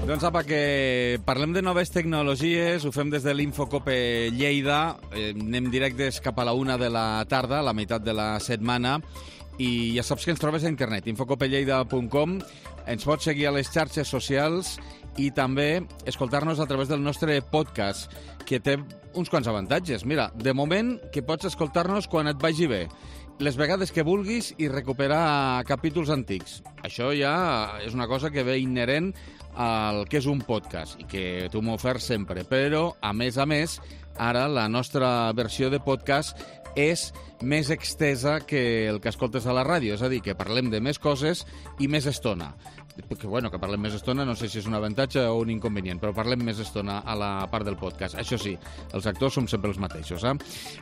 Doncs apa, que parlem de noves tecnologies, ho fem des de l'Infocope Lleida, anem directes cap a la 1 de la tarda, a la meitat de la setmana, i ja saps que ens trobes a internet, infocopelleida.com, ens pots seguir a les xarxes socials i també escoltar-nos a través del nostre podcast, que té uns quants avantatges. Mira, de moment que pots escoltar-nos quan et vagi bé, les vegades que vulguis i recuperar capítols antics. Això ja és una cosa que ve inherent al que és un podcast i que tu m'oferts sempre. Però, a més, ara la nostra versió de podcast és més extesa que el que escoltes a la ràdio, és a dir, que parlem de més coses i més estona. Que parlem més estona, no sé si és un avantatge o un inconvenient, però parlem més estona a la part del podcast. Això sí, els actors som sempre els mateixos.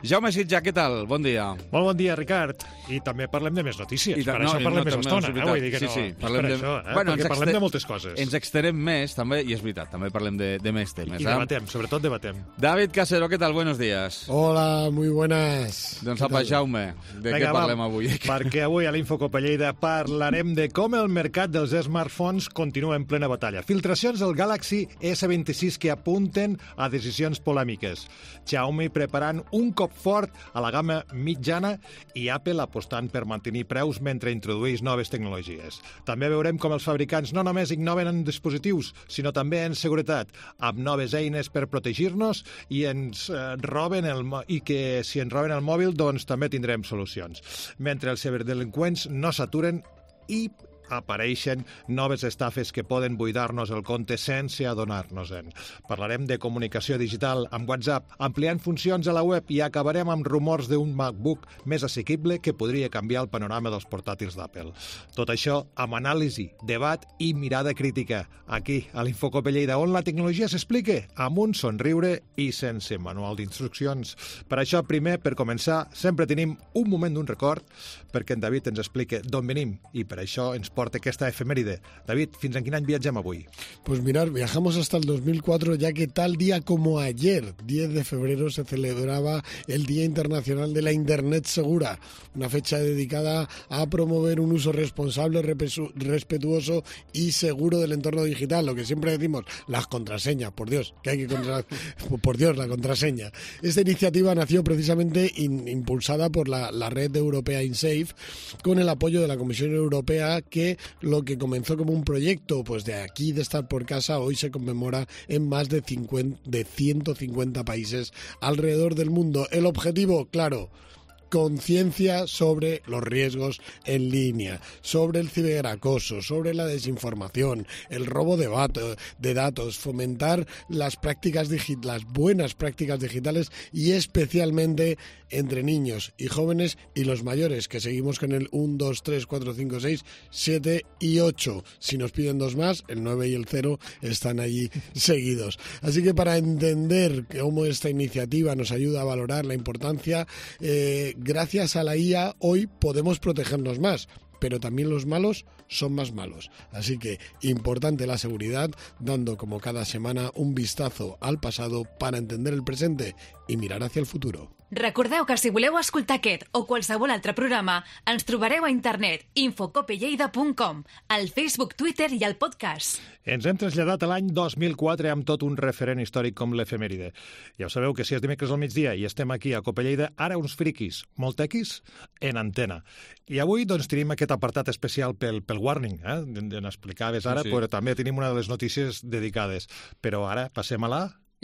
Jaume Sitjà, què tal? Bon dia. Molt bon dia, Ricard. I també parlem de més notícies. Per això parlem més estona. Vull dir que sí, parlem per això, perquè parlem de moltes coses. Ens exterem més, també, i és veritat, també parlem de més temes. I debatem, sobretot debatem. David Casero, què tal? Buenos días. Hola, muy buenas. Doncs apa, Jaume, de què parlem avui? Perquè avui a l'Infocope Lleida parlarem de com el mercat dels smartphones continua en plena batalla. Filtracions del Galaxy S26 que apunten a decisions polèmiques. Xiaomi preparant un cop fort a la gamma mitjana i Apple apostant per mantenir preus mentre introdueix noves tecnologies. També veurem com els fabricants no només innoven en dispositius, sinó també en seguretat, amb noves eines per protegir-nos i que si ens roben el mòbil, doncs també tindrem solucions. Mentre els ciberdelinqüents no s'aturen i apareixen noves estafes que poden buidar-nos el compte sense adonar-nos-en. Parlarem de comunicació digital amb WhatsApp, ampliant funcions a la web i acabarem amb rumors d'un MacBook més assequible que podria canviar el panorama dels portàtils d'Apple. Tot això amb anàlisi, debat i mirada crítica. Aquí, a l'Infocope Lleida, on la tecnologia s'explica amb un somriure i sense manual d'instruccions. Per això, primer, per començar, sempre tenim un moment d'un record perquè en David ens explica d'on venim i per això ens porta esta efeméride. David, ¿fins en quin any viatgem avui? Pues mirar, viajamos hasta el 2004, ya que tal día como ayer, 10 de febrero, se celebraba el Día Internacional de la Internet Segura, una fecha dedicada a promover un uso responsable, respetuoso y seguro del entorno digital. Lo que siempre decimos, las contraseñas, por Dios, que hay que por Dios, la contraseña. Esta iniciativa nació precisamente impulsada por la red europea InSafe, con el apoyo de la Comisión Europea, que lo que comenzó como un proyecto pues de aquí, de estar por casa, hoy se conmemora en más de 150 países alrededor del mundo. El objetivo, claro, conciencia sobre los riesgos en línea, sobre el ciberacoso, sobre la desinformación, el robo de datos, fomentar las buenas prácticas digitales y especialmente entre niños y jóvenes y los mayores, que seguimos con el 1, 2, 3, 4, 5, 6, 7 y 8. Si nos piden dos más, el 9 y el 0 están allí seguidos. Así que para entender cómo esta iniciativa nos ayuda a valorar la importancia, gracias a la IA hoy podemos protegernos más, pero también los malos son más malos. Así que importante la seguridad, dando como cada semana un vistazo al pasado para entender el presente i mirar hacia el futuro. Recordeu que si voleu escoltar aquest o qualsevol altre programa, ens trobareu a internet infocopelleida.com, al Facebook, Twitter i al podcast. Ens hem traslladat a l'any 2004 amb tot un referent històric com l'efemèride. Ja ho sabeu que si és dimecres al migdia i estem aquí a Cope Lleida, ara uns friquis, molt tequis, en antena. I avui doncs tenim aquest apartat especial pel Warning, n'explicaves ara, però també tenim una de les notícies dedicades. Però ara passem a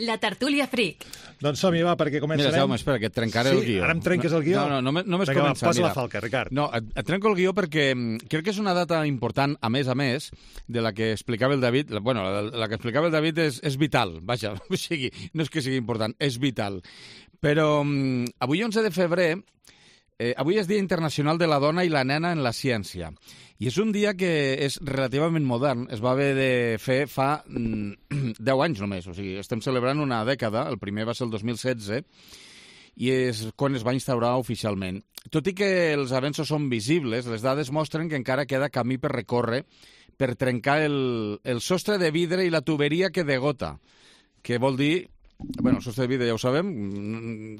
la tertúlia fric. Doncs som-hi, va, perquè començarem. Mira, Jaume, espera, que et trencaré el guió. Ara em trenques el guió? No, només vinga, començar. Posa la falca, Ricard. No, et trenco el guió perquè crec que és una data important, a més, de la que explicava el David. Bueno, la que explicava el David és vital, vaja, o sigui, no és que sigui important, és vital. Però avui, 11 de febrer, avui és Dia Internacional de la Dona i la Nena en la Ciència. I és un dia que és relativament modern, es va haver de fer fa 10 anys només, o sigui, estem celebrant una dècada, el primer va ser el 2016, i és quan es va instaurar oficialment. Tot i que els avenços són visibles, les dades mostren que encara queda camí per recórrer per trencar el sostre de vidre i la tuberia que degota, que vol dir, bueno, el sostre de vidre ja ho sabem,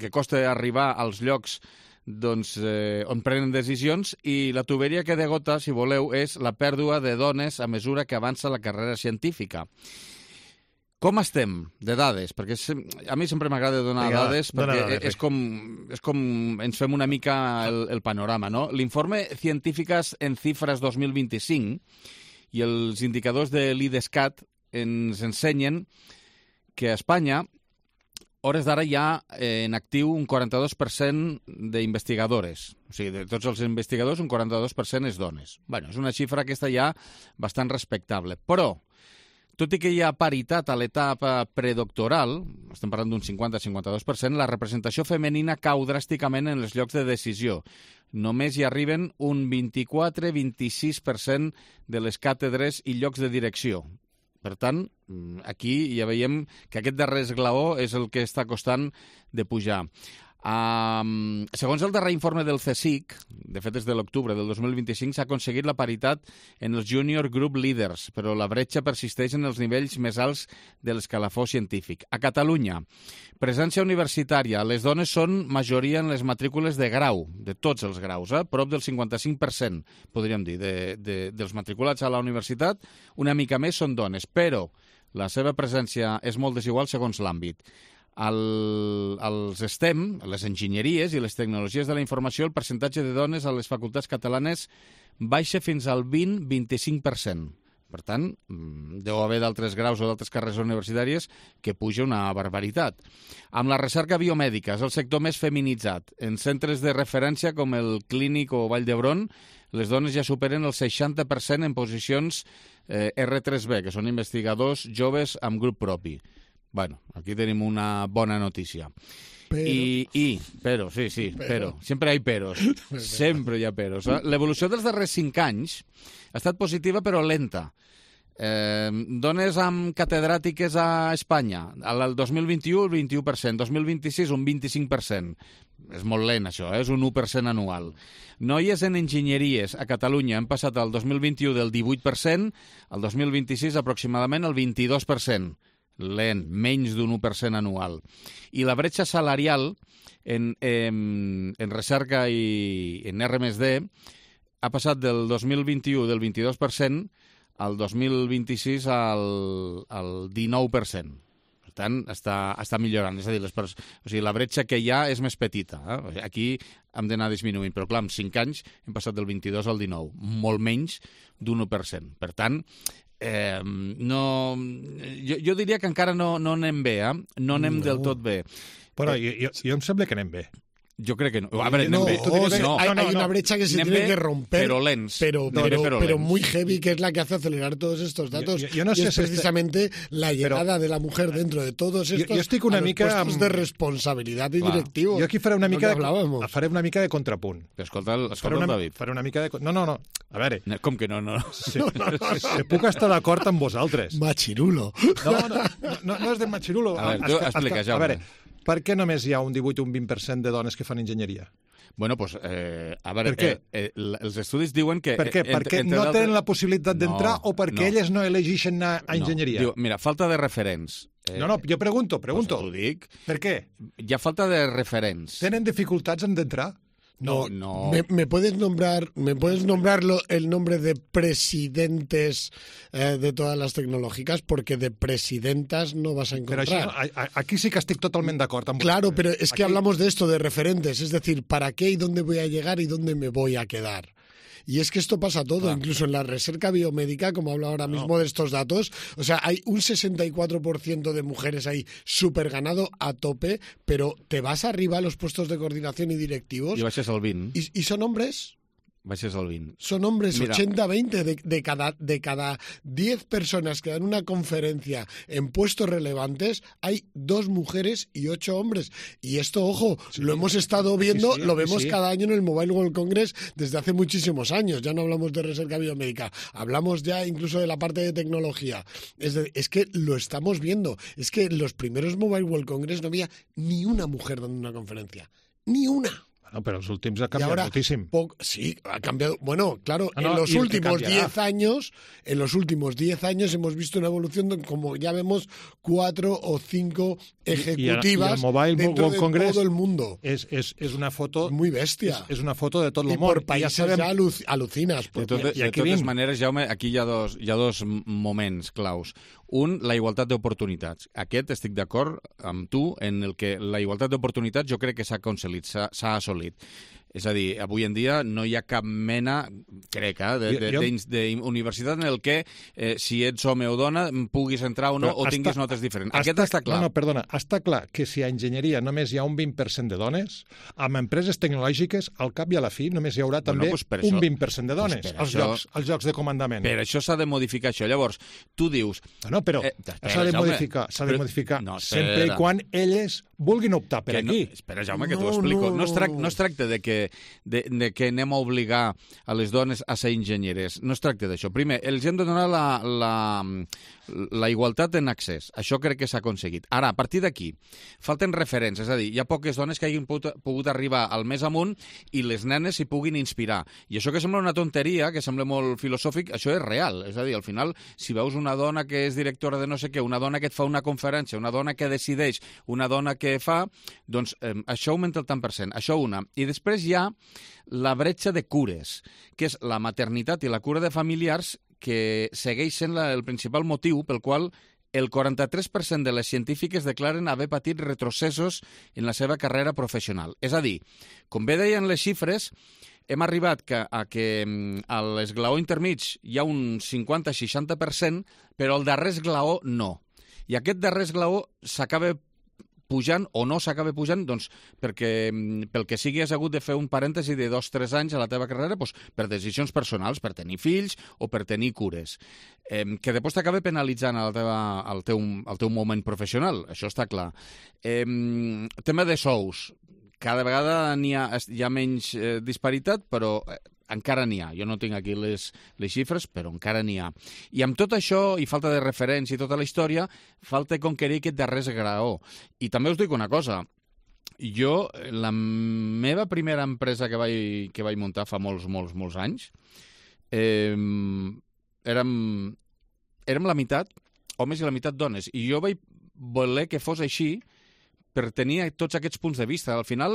que costa arribar als llocs on prenen decisions, i la tuberia que degota, si voleu, és la pèrdua de dones a mesura que avança la carrera científica. Com estem de dades? Perquè a mi sempre m'agrada donar dades, perquè és com ens fem una mica el panorama, no? L'informe Científicas en Cifras 2025 i els indicadors de l'IDESCAT ens ensenyen que a Espanya, hores d'ara, hi ha en actiu un 42% d'investigadores. O sigui, de tots els investigadors, un 42% és dones. Bé, és una xifra aquesta ja bastant respectable. Però, tot i que hi ha paritat a l'etapa predoctoral, estem parlant d'un 50-52%, la representació femenina cau dràsticament en els llocs de decisió. Només hi arriben un 24-26% de les càtedres i llocs de direcció. Per tant, aquí ja veiem que aquest darrer esglaó és el que està costant de pujar. Segons el darrer informe del CSIC, de fet és de l'octubre del 2025, s'ha aconseguit la paritat en els Junior Group Leaders, però la bretxa persisteix en els nivells més alts de l'escalafó científic. A Catalunya, presència universitària. Les dones són majoria en les matrícules de grau, de tots els graus, prop del 55%, podríem dir, dels matriculats a la universitat, una mica més són dones, però la seva presència és molt desigual segons l'àmbit. Als STEM, les enginyeries i les tecnologies de la informació, el percentatge de dones a les facultats catalanes baixa fins al 20-25%. Per tant, deu haver d'altres graus o d'altres carreres universitàries que puja una barbaritat. Amb la recerca biomèdica és el sector més feminitzat. En centres de referència com el Clínic o Vall d'Hebron, les dones ja superen el 60% en posicions R3B, que són investigadors joves amb grup propi. Bueno, aquí tenim una bona notícia. Però, però. Sempre hi ha peros. Sempre hi ha peros. L'evolució dels darrers 5 anys ha estat positiva però lenta. Dones amb catedràtiques a Espanya, el 2021 el 21%, 2026 un 25%. És molt lent això, és un 1% anual. Noies en enginyeries a Catalunya han passat al 2021 del 18%, al 2026 aproximadament el 22%. Lent, menys d'un 1% anual. I la bretxa salarial en recerca i en R+D ha passat del 2021 del 22% al 2026 al 19%. Per tant, està millorant. És a dir, la bretxa que hi ha és més petita. Aquí hem d'anar disminuint, però clar, en 5 anys hem passat del 22 al 19, molt menys d'un 1%. Per tant, jo diria que encara no anem bé, no anem del tot bé. Però jo em sembla que anem bé. Yo creo que no. A ver, hay una brecha que se tiene que romper, pero lents. Pero muy heavy, que es la que hace acelerar todos estos datos. Yo no sé es precisamente la llegada de la mujer dentro de todos estos puestos de responsabilidad y directivos. Jo aquí faré una mica de contrapunt. Escolta el David. Faré una mica de... No. A veure... Com que no? Sí, puc estar d'acord amb vosaltres. Machirulo. No és de machirulo. A veure, tu explica, Jaume. A veure, per què només hi ha un 18 o un 20% de dones que fan enginyeria? Bueno, pues, a veure, els estudis diuen que... Per què? Perquè no tenen la possibilitat d'entrar o perquè elles no elegeixen anar a enginyeria? Diu, mira, falta de referents. No, jo pregunto. Pues t'ho dic. Per què? Hi ha falta de referents. Tenen dificultats en d'entrar? No. ¿Me puedes nombrar el nombre de presidentes de todas las tecnológicas? Porque de presidentas no vas a encontrar. Pero aquí sí que estic totalment d'acord amb Claro, pero es que hablamos de esto, de referentes. Es decir, ¿para qué y dónde voy a llegar y dónde me voy a quedar? Y es que esto pasa todo, incluso en la recerca biomédica, como hablo ahora mismo de estos datos. O sea, hay un 64% de mujeres ahí súper ganado a tope, pero te vas arriba a los puestos de coordinación y directivos. Y baixes al 20. ¿Y son hombres? Baixes al 20. Son hombres, 80-20 de cada 10 personas que dan una conferencia en puestos relevantes, hay 2 mujeres y 8 hombres. Y esto, ojo, lo hemos estado viendo, lo vemos cada año en el Mobile World Congress desde hace muchísimos años. Ya no hablamos de recerca biomédica, hablamos ya incluso de la parte de tecnología. Es que lo estamos viendo. Es que en los primeros Mobile World Congress no había ni una mujer dando una conferencia. Ni una. Bueno, pero los últimos ha Y cambiado ahora, muchísimo. sí, ha cambiado. Bueno, claro, No, en los y el que últimos cambiará. 10 años hemos visto una evolución de, como ya vemos, 4 o 5 ejecutivas y el Mobile dentro World de Congress todo el mundo. Es una foto... Muy bestia. És una foto de tot el Y món. por I países ja sabem... alucinas. De totes maneres, Jaume, aquí hi ha dos moments claus. Un, la igualtat d'oportunitats. Aquest estic d'acord amb tu en el que la igualtat d'oportunitats jo crec que s'ha assolit. És a dir, avui en dia no hi ha cap mena, crec, d'universitat en el que si ets home o dona puguis entrar o no, o tinguis notes diferents. Aquest està clar. No, perdona, està clar que si a enginyeria només hi ha un 20% de dones, amb empreses tecnològiques, al cap i a la fi només hi haurà també un 20% de dones als llocs de comandament. Per això s'ha de modificar això. Llavors, tu dius... No, però s'ha de modificar sempre i quan elles vulguin optar per aquí. Espera, Jaume, que t'ho explico. No es tracta de que anem a obligar a les dones a ser enginyeres. No es tracta d'això. Primer, els hem de donar la igualtat en accés. Això crec que s'ha aconseguit. Ara, a partir d'aquí, falten referents. És a dir, hi ha poques dones que hagin pogut arribar al més amunt i les nenes s'hi puguin inspirar. I això que sembla una tonteria, que sembla molt filosòfic, això és real. És a dir, al final, si veus una dona que és directora de no sé què, una dona que et fa una conferència, una dona que decideix, una dona que fa, doncs això augmenta el tant per cent. Això una. I després hi ha la bretxa de cures, que és la maternitat i la cura de familiars, que segueix sent el principal motiu pel qual el 43% de les científiques declaren haver patit retrocessos en la seva carrera professional. És a dir, com bé deien les xifres, hem arribat a que a l'esglaó intermig hi ha un 50-60%, però al darrer esglaó no. I aquest darrer esglaó s'acaba pujant o no s'acaba pujant, doncs perquè pel que sigui has hagut de fer un parèntesi de 2-3 anys a la teva carrera per decisions personals, per tenir fills o per tenir cures, que després t'acaba penalitzant al teu moment professional, això està clar. Tema de sous. Cada vegada hi ha menys disparitat, però encara n'hi ha. Jo no tinc aquí les xifres, però encara n'hi ha. I amb tot això, i falta de referència i tota la història, falta conquerir aquest darrer graó. I també us dic una cosa. Jo, la meva primera empresa que vaig muntar fa molts anys, érem la meitat homes i la meitat dones. I jo vaig voler que fos així per tenir tots aquests punts de vista. Al final,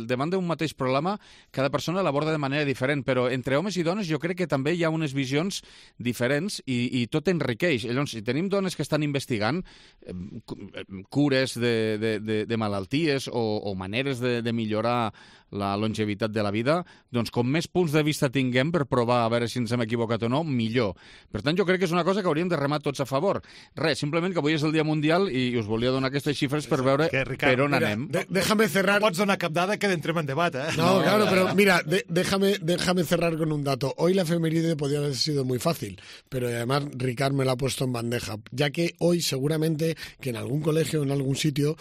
davant d'un mateix problema, cada persona l'aborda de manera diferent, però entre homes i dones jo crec que també hi ha unes visions diferents i tot enriqueix. Llavors, si tenim dones que estan investigant cures de malalties o maneres de millorar la longevitat de la vida, doncs com més punts de vista tinguem per provar a veure si ens hem equivocat o no, millor. Per tant, jo crec que és una cosa que hauríem de remar tots a favor. Res, simplement que avui és el Dia Mundial i us volia donar aquestes xifres per veure per on anem. Déjame cerrar. No pots donar cap dada que entrem en debat, ¿eh? No, claro, pero mira, déjame cerrar con un dato. Hoy la efeméride podría haber sido muy fácil, pero además Ricard me la ha puesto en bandeja, ya que hoy seguramente que en algún colegio o en algún sitio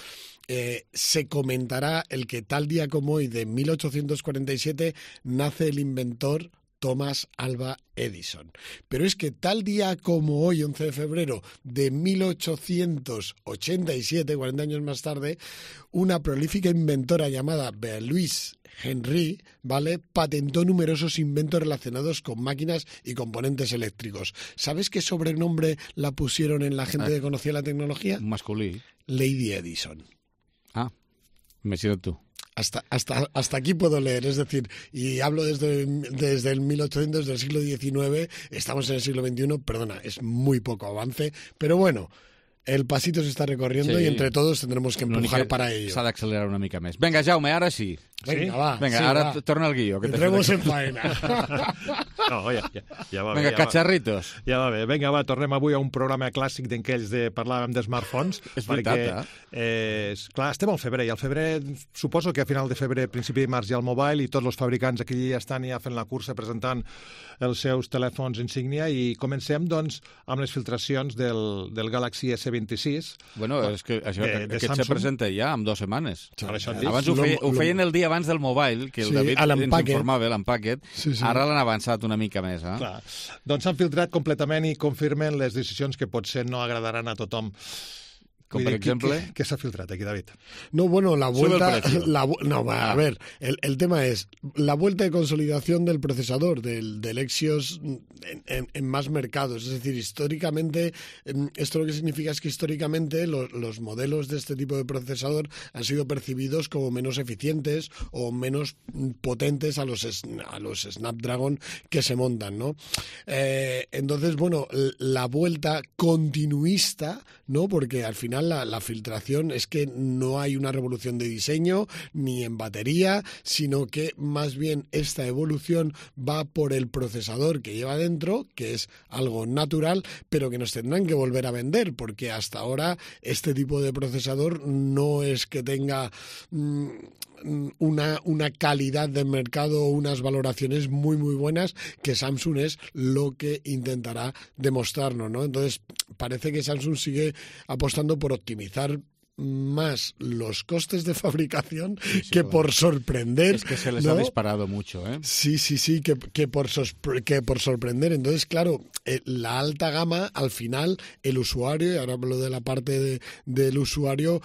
se comentará el que tal día como hoy de 1847 nace el inventor Thomas Alva Edison. Pero es que tal día como hoy, 11 de febrero de 1887, 40 años más tarde, una prolífica inventora llamada Louise Henry, ¿vale?, patentó numerosos inventos relacionados con máquinas y componentes eléctricos. ¿Sabes qué sobrenombre la pusieron en la gente que conocía la tecnología? Masculí. Lady Edison. Ah, me sido tú. Hasta aquí puedo leer, es decir, y hablo desde el 1800, del siglo XIX, estamos en el siglo XXI, perdona, es muy poco avance, pero bueno, el pasito se está recorriendo y entre todos tendremos que empujar para ello. S'ha d'accelerar una mica més. Vinga, Jaume, ara sí. Venga, va. Venga, sí, ara va. torna al guió. Entremos en faena. No, ja va bé. Vinga, cacharritos. Ja va bé. Vinga, va, tornem avui a un programa clàssic d'aquells de parlàvem de smartphones. És veritat, clar, estem al febrer, i al febrer, suposo que a final de febrer, principi de març, hi ha el mobile, i tots els fabricants aquí ja estan ja fent la cursa presentant els seus telèfons insígnia, i comencem, doncs, amb les filtracions del Galaxy S26. Bueno, és que aquest se presenta ja en 2 setmanes. Abans ho feien el dia abans del mobile, que el David ens informava, l'Unpacked. Ara l'han avançat una mica més. Clar. Doncs s'han filtrat completament i confirmen les decisions que potser no agradaran a tothom. Com per exemple... ¿Qué se ha filtrado aquí, David? No, bueno, la vuelta... Sube el precio. A ver, el tema es la vuelta de consolidación del procesador, del Exynos en más mercados. Es decir, históricamente, esto lo que significa es que históricamente los modelos de este tipo de procesador han sido percibidos como menos eficientes o menos potentes a los Snapdragon que se montan, ¿no? Entonces, bueno, la vuelta continuista, ¿no? Porque al final la filtración es que no hay una revolución de diseño ni en batería, sino que más bien esta evolución va por el procesador que lleva dentro, que es algo natural, pero que nos tendrán que volver a vender, porque hasta ahora este tipo de procesador no es que tenga una calidad de mercado o unas valoraciones muy muy buenas, que Samsung es lo que intentará demostrarnos, ¿no? Entonces parece que Samsung sigue apostando por optimizar más los costes de fabricación que por sorprender. Es que se les ¿no? ha disparado mucho, ¿eh? Sí, que por sorprender. Entonces, claro, la alta gama, al final, el usuario, y ahora hablo de la parte del usuario,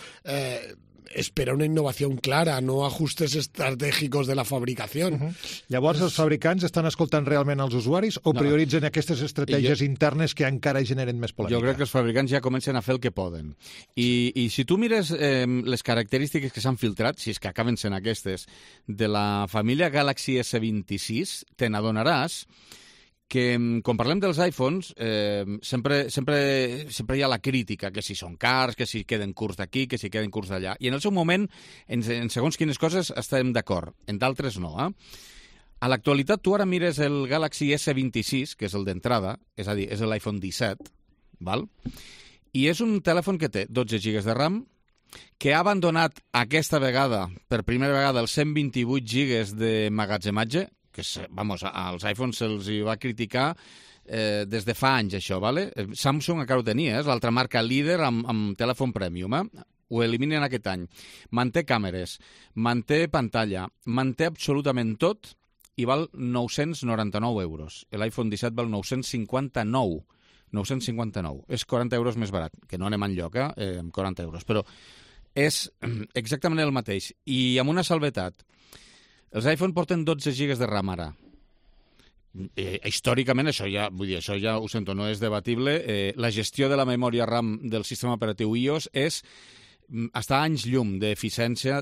espera una innovació clara, no ajustes estratègics de la fabricació. Llavors, els fabricants estan escoltant realment els usuaris o prioritzen aquestes estratègies internes que encara generen més polèmica? Jo crec que els fabricants ja comencen a fer el que poden. I si tu mires les característiques que s'han filtrat, si és que acaben sent aquestes, de la família Galaxy S26, te n'adonaràs que, quan parlem dels iPhones, sempre hi ha la crítica, que si són cars, que si queden curts d'aquí, que si queden curts d'allà. I en el seu moment, en segons quines coses, estem d'acord. En d'altres no, A l'actualitat, tu ara mires el Galaxy S26, que és el d'entrada, és a dir, és l'iPhone 17, val? I és un telèfon que té 12 GB de RAM, que ha abandonat aquesta vegada, per primera vegada, els 128 GB de magatzematge, que, vamos, als iPhones se'ls va criticar des de fa anys, això, ¿vale? Samsung encara ho tenia, és l'altra marca líder amb telèfon premium, Ho eliminen aquest any. Manté càmeres, manté pantalla, manté absolutament tot i val 999 euros. L'iPhone 17 val 959. 959. És 40 euros més barat, que no anem enlloc, amb 40 euros, però és exactament el mateix. I amb una salvetat. Els iPhone porten 12 GB de RAM ara. Històricament, això ja ho sento, no és debatible. La gestió de la memòria RAM del sistema operatiu iOS està a anys llum d'eficiència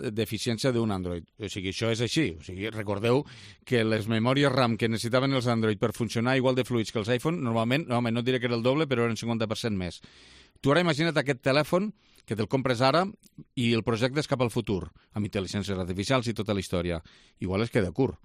d'un Android. O sigui, això és així. O sigui, recordeu que les memòries RAM que necessitaven els Android per funcionar igual de fluids que els iPhone, normalment, no diré que era el doble, però eren 50% més. Tu ara imagina't aquest telèfon que te'l compres ara i el projectes cap al futur, amb intel·ligències artificials i tota la història. Igual es queda curt.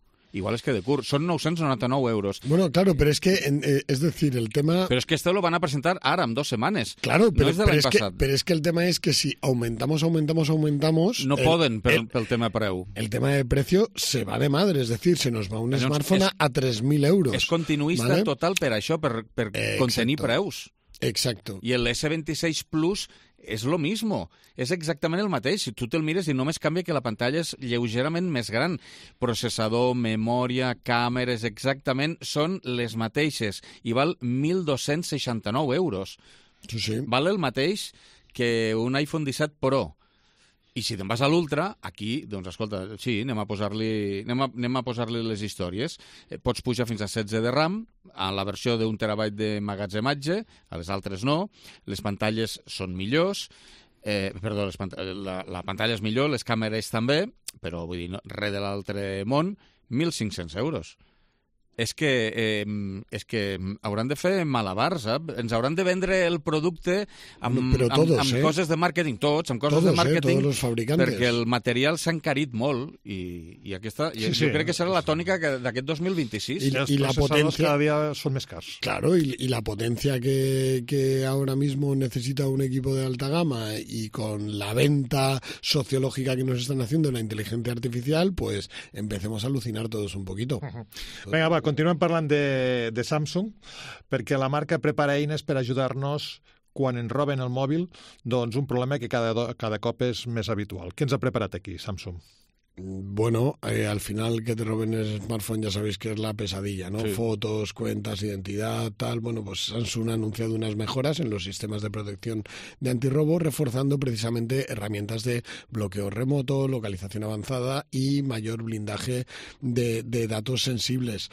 Son 999 euros. Bueno, claro, pero es que, es decir, el tema... Pero es que esto lo van a presentar ahora, en 2 semanas. Claro, pero es que el tema es que si aumentamos... No poden pel tema preu. El tema de precio se va de madre, es decir, se nos va un smartphone a 3.000 euros. És continuista, ¿vale? Total per això, per contenir preus. Exacto. I el S26 Plus és lo mismo, és exactament el mateix. Si tu te'l mires i només canvia que la pantalla és lleugerament més gran. Processador, memòria, càmeres, exactament són les mateixes. I val 1.269 euros. Sí. Val el mateix que un iPhone 17 Pro. I si te'n vas a l'Ultra, aquí, doncs, escolta, sí, anem a posar-li les històries. Pots pujar fins a 16 de RAM, a la versió d'1 terabyte de magatzematge, a les altres no. Les pantalles són millors, la pantalla és millor, les càmeres també, però vull dir, res de l'altre món, 1.500 euros. És que hauran de fer malabars, ens hauran de vendre el producte amb coses de màrqueting, amb coses de màrqueting, tots els fabricantes, perquè el material s'ha encarit molt i aquesta, jo crec que serà la tònica d'aquest 2026. Y la potencia cada día son más caros. Claro, y la potencia que ahora mismo necesita un equipo de alta gama y con la venta sociológica que nos están haciendo la inteligencia artificial, pues empecemos a alucinar todos un poquito. Venga, va, continuem parlant de Samsung, perquè la marca prepara eines per ajudar-nos quan ens roben el mòbil, doncs un problema que cada cop és més habitual. Què ens ha preparat aquí, Samsung? Bueno, al final que te roben el smartphone ya sabéis que es la pesadilla, ¿no? Sí. Fotos, cuentas, identidad, tal. Bueno, pues Samsung ha anunciado unas mejoras en los sistemas de protección de antirrobo, reforzando precisamente herramientas de bloqueo remoto, localización avanzada y mayor blindaje de datos sensibles.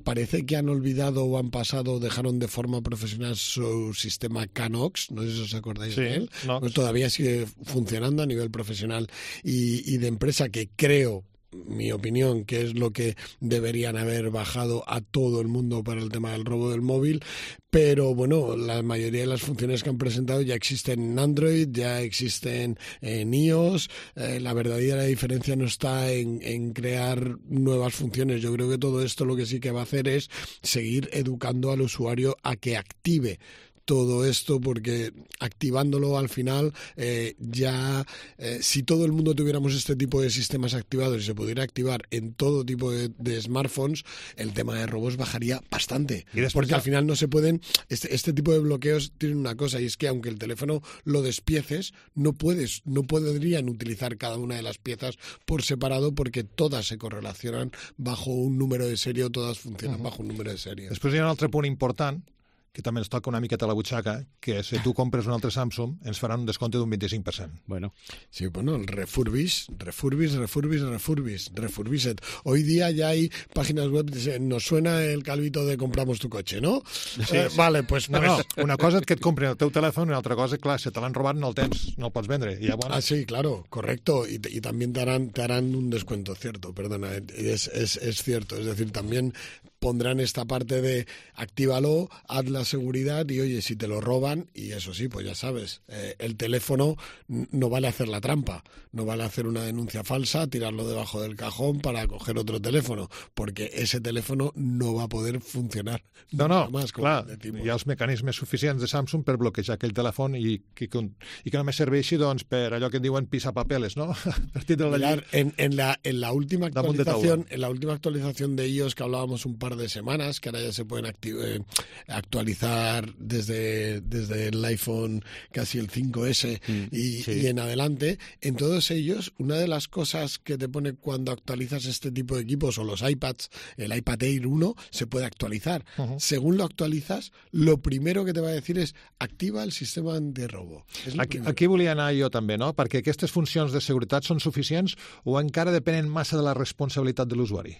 Parece que han olvidado o han pasado, dejaron de forma profesional su sistema CANOX, no sé si os acordáis de él, pues todavía sigue funcionando a nivel profesional y de empresa, que creo, mi opinión, que es lo que deberían haber bajado a todo el mundo para el tema del robo del móvil, pero bueno, la mayoría de las funciones que han presentado ya existen en Android, ya existen en iOS. La verdadera diferencia no está en crear nuevas funciones. Yo creo que todo esto lo que sí que va a hacer es seguir educando al usuario a que active todo esto, porque activándolo al final si todo el mundo tuviéramos este tipo de sistemas activados y se pudiera activar en todo tipo de smartphones, el tema de robos bajaría bastante, porque al final no se pueden, este tipo de bloqueos tienen una cosa, y es que aunque el teléfono lo despieces, no podrían utilizar cada una de las piezas por separado, porque todas se correlacionan bajo un número de serie, o todas funcionan bajo un número de serie. Després hi ha un altre punt important que també ens toca una miqueta a la butxaca, que si tu compres un altre Samsung ens faran un descompte d'un 25%. Bueno. Sí, bueno, el refurbished. Hoy día ya hay páginas web que dicen, nos suena el calvito de compramos tu coche, ¿no? Sí. Vale, pues... No, una cosa és que et comprin el teu telèfon i una altra cosa, clar, si te l'han robat no el tens, no el pots vendre. I ja, bueno. Sí, claro, correcto. Y también te harán un descuento, cierto, perdona, es cierto. Es decir, también pondrán esta parte de actívalo, haz la seguridad y oye, si te lo roban, y eso sí, pues ya sabes, el teléfono no vale hacer la trampa, no vale hacer una denuncia falsa, tirarlo debajo del cajón para coger otro teléfono, porque ese teléfono no va a poder funcionar. No, más, clar, hi ha els mecanismes suficients de Samsung per bloquejar aquell telèfon i que només serveixi doncs, per allò que en diuen pisapapeles, no? En la última actualización de iOS que hablábamos un par de semanas, que ahora ya se pueden actualizar desde el iPhone casi el 5S y en adelante, en todos ellos, una de las cosas que te pone cuando actualizas este tipo de equipos, o los iPads, el iPad Air 1 se puede actualizar. Según lo actualizas, lo primero que te va a decir es activa el sistema antirrobo. Aquí volia anar jo també, no? Perquè aquestes funcions de seguretat són suficients o encara depenen massa de la responsabilitat de l'usuari?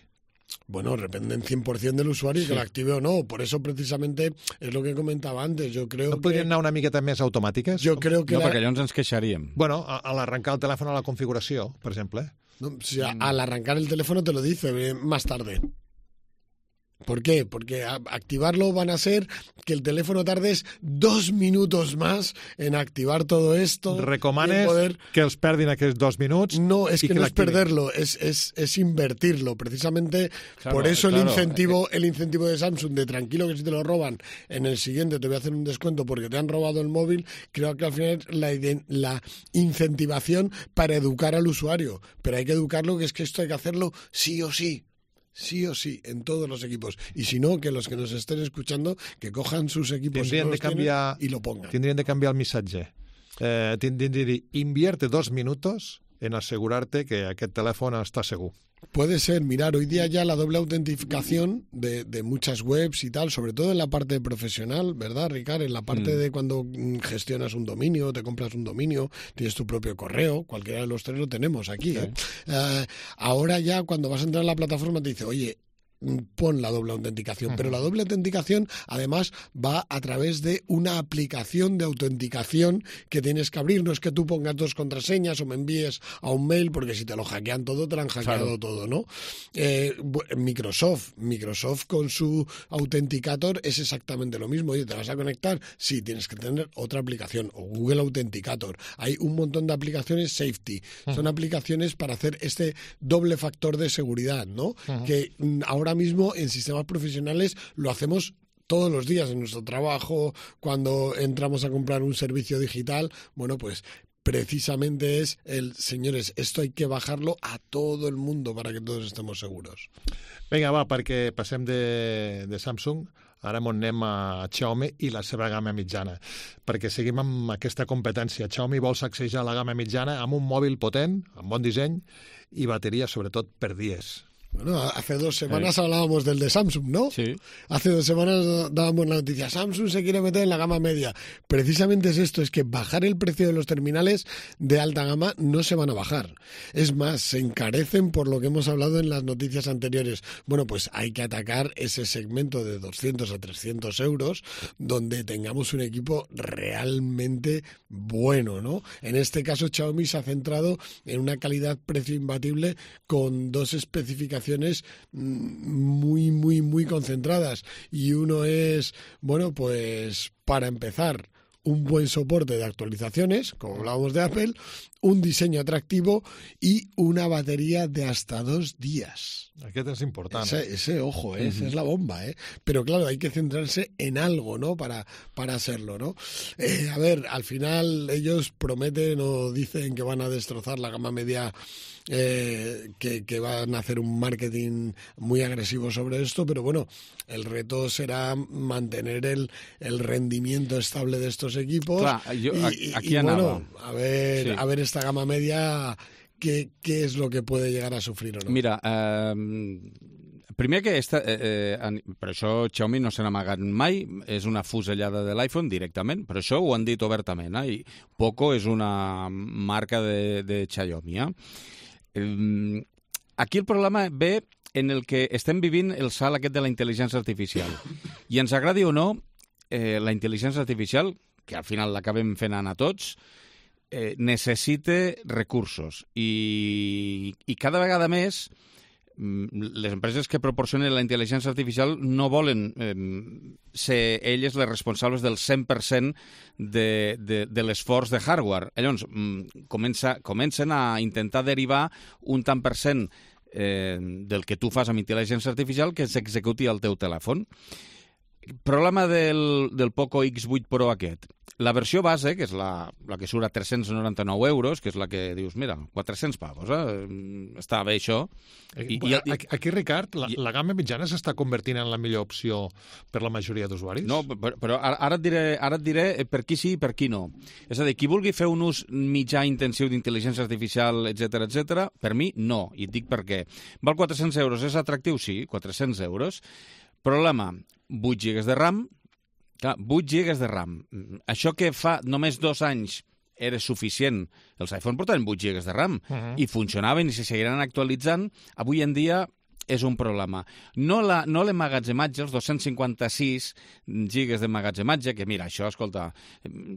Bueno, dependen 100% del usuario y que lo active o no. Por eso, precisamente, es lo que comentaba antes. Yo creo no podrien anar una miqueta més automàtiques? Yo creo que no, perquè llavors ens queixaríem. Bueno, al arrancar el teléfono a la configuració, per exemple. No, o sea, al arrancar el teléfono te lo dice más tarde. ¿Por qué? Porque activarlo van a ser que el teléfono tardes 2 minutos más en activar todo esto. ¿Recomanes que els perdin aquests 2 minuts? No, es que no es perderlo, es invertirlo. Precisamente por eso el incentivo de Samsung de tranquilo que si te lo roban, en el siguiente te voy a hacer un descuento porque te han robado el móvil, creo que al final es la incentivación para educar al usuario. Pero hay que educarlo, que es que esto hay que hacerlo sí o sí. Sí o sí, en todos los equipos. Y si no, que los que nos estén escuchando, que cojan sus equipos y lo pongan. Tendrían de cambiar el missatge. Tendrían de dir, invierte 2 minutos en asegurarte que aquest telèfon està segur. Puede ser, mirar, hoy día ya la doble autentificación de muchas webs y tal, sobre todo en la parte profesional, ¿verdad, Ricard? En la parte de cuando gestionas un dominio, te compras un dominio, tienes tu propio correo, cualquiera de los tres lo tenemos aquí. Ahora ya cuando vas a entrar a la plataforma te dice, oye, pon la doble autenticación, pero la doble autenticación además va a través de una aplicación de autenticación que tienes que abrir. No es que tú pongas 2 contraseñas o me envíes a un mail, porque si te lo hackean todo, te lo han hackeado todo, ¿no? Microsoft con su Authenticator es exactamente lo mismo. Oye, ¿te vas a conectar? Sí, tienes que tener otra aplicación, o Google Authenticator. Hay un montón de aplicaciones safety. Son aplicaciones para hacer este doble factor de seguridad, ¿no? Que ahora mismo en sistemas profesionales lo hacemos todos los días en nuestro trabajo, cuando entramos a comprar un servicio digital. Bueno, pues precisamente es señores, esto hay que bajarlo a todo el mundo para que todos estemos seguros. Vinga, va, perquè passem de Samsung, ara anem a Xiaomi i la seva gamma mitjana, perquè seguim amb aquesta competència. Xiaomi vol sacsejar la gamma mitjana amb un mòbil potent, amb bon disseny, i bateria, sobretot, per dies. Bueno, hace 2 semanas hablábamos del de Samsung, ¿no? Sí. Hace 2 semanas dábamos la noticia, Samsung se quiere meter en la gama media. Precisamente es esto, es que bajar el precio de los terminales de alta gama no se van a bajar. Es más, se encarecen por lo que hemos hablado en las noticias anteriores. Bueno, pues hay que atacar ese segmento de 200 a 300 euros donde tengamos un equipo realmente bueno, ¿no? En este caso, Xiaomi se ha centrado en una calidad-precio imbatible con 2 especificaciones muy concentradas, y uno es, bueno, pues para empezar, un buen soporte de actualizaciones, como hablábamos de Apple, un diseño atractivo y una batería de hasta 2 días. Aquest és important. Ese ojo, esa es la bomba, ¿eh? Pero claro, hay que centrarse en algo, ¿no? Para hacerlo, ¿no? A ver, al final ellos prometen o dicen que van a destrozar la gama media, que van a hacer un marketing muy agresivo sobre esto, pero bueno, el reto será mantener el rendimiento estable de estos equipos. Clar, aquí anava. Bueno, a ver esta gama media, ¿qué es lo que puede llegar a sufrir o no? Mira, primer que per això Xiaomi no se n'ha amagat mai, és una fusellada de l'iPhone directament, per això ho han dit obertament, i Poco és una marca de Xiaomi. Aquí el problema ve en el que estem vivint el salt aquest de la intel·ligència artificial. I ens agradi o no, la intel·ligència artificial, que al final l'acabem fent anar tots, necessita recursos i cada vegada més les empreses que proporcionen la intel·ligència artificial no volen ser elles les responsables del 100% de l'esforç de hardware. Llavors, comencen a intentar derivar un tant per cent del que tu fas amb intel·ligència artificial que s'executi al teu telèfon. Problema del Poco X8 Pro aquest. La versió base, que és la que surt a 399 euros, que és la que dius, mira, 400 pavos, està bé això. Aquí, Ricard, la gamma mitjana s'està convertint en la millor opció per la majoria d'usuaris? No, però ara et diré per qui sí i per qui no. És a dir, qui vulgui fer un ús mitjà intensiu d'intel·ligència artificial, etc, per mi no, i et dic per què. Val 400 euros, és atractiu? Sí, 400 euros. Problema, 8 GB de RAM. Clar, 8 GB de RAM. Això que fa només 2 anys era suficient. Els iPhone portaven 8 GB de RAM i funcionaven i se seguiran actualitzant. Avui en dia és un problema. No l'emmagatzematge, els 256 gigas d'emmagatzematge, que mira, això, escolta,